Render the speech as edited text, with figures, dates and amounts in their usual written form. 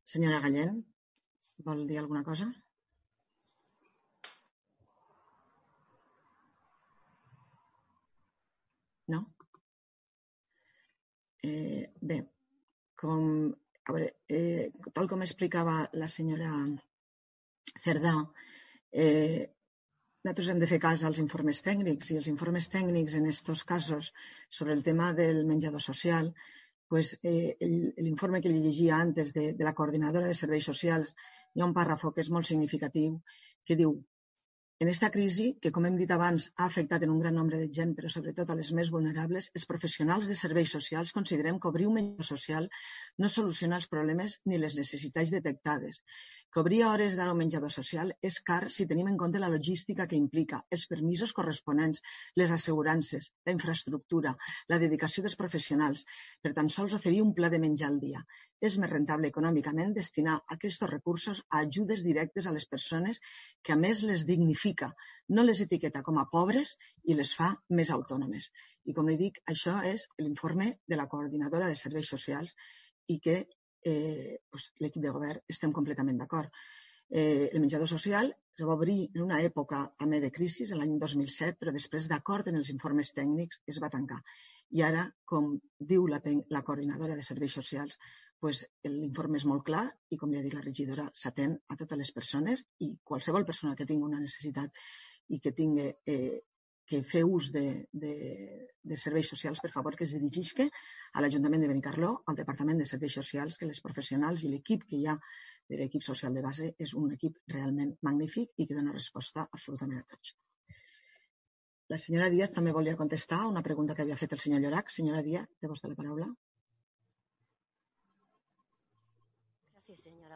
Senyora Gallén, vol dir alguna cosa? No? Bé, tal com explicava la senyora Cerdà, nosaltres hem de fer cas als informes tècnics i els informes tècnics en aquests casos sobre el tema del menjador social, l'informe que li llegia antes de la coordinadora de serveis socials, hi ha un pàrrafo que és molt significatiu que diu: en esta crisi, que com hem dit abans ha afectat en un gran nombre de gent, però sobretot a les més vulnerables, els professionals de serveis socials considerem que obrir un menjador social no soluciona els problemes ni les necessitats detectades. Que obrir a hores d'ara un menjador social és car si tenim en compte la logística que implica, els permisos corresponents, les assegurances, la infraestructura, la dedicació dels professionals, per tan sols oferir un pla de menjar al dia. És més rentable econòmicament destinar aquests recursos a ajudes directes a les persones que a més les dignifica, no les etiqueta com a pobres i les fa més autònomes. I com li dic, això és l'informe de la coordinadora de serveis socials i que l'equip de govern estem completament d'acord. El menjador social es va obrir en una època també de crisi, l'any 2007, però després, d'acord en els informes tècnics, es va tancar. I ara, com diu la coordinadora de serveis socials, l'informe és molt clar i, com ja ha dit la regidora, s'atén a totes les persones i qualsevol persona que tingui una necessitat i que tingui que fer ús de serveis socials, per favor, que es dirigeixi a l'Ajuntament de Benicarló, al Departament de Serveis Socials, que les professionals i l'equip que hi ha de l'equip social de base és un equip realment magnífic i que dona resposta absolutament a tots. La senyora Díaz també volia contestar una pregunta que havia fet el senyor Llorach. Senyora Díaz, té vostè la paraula. Gràcies, senyora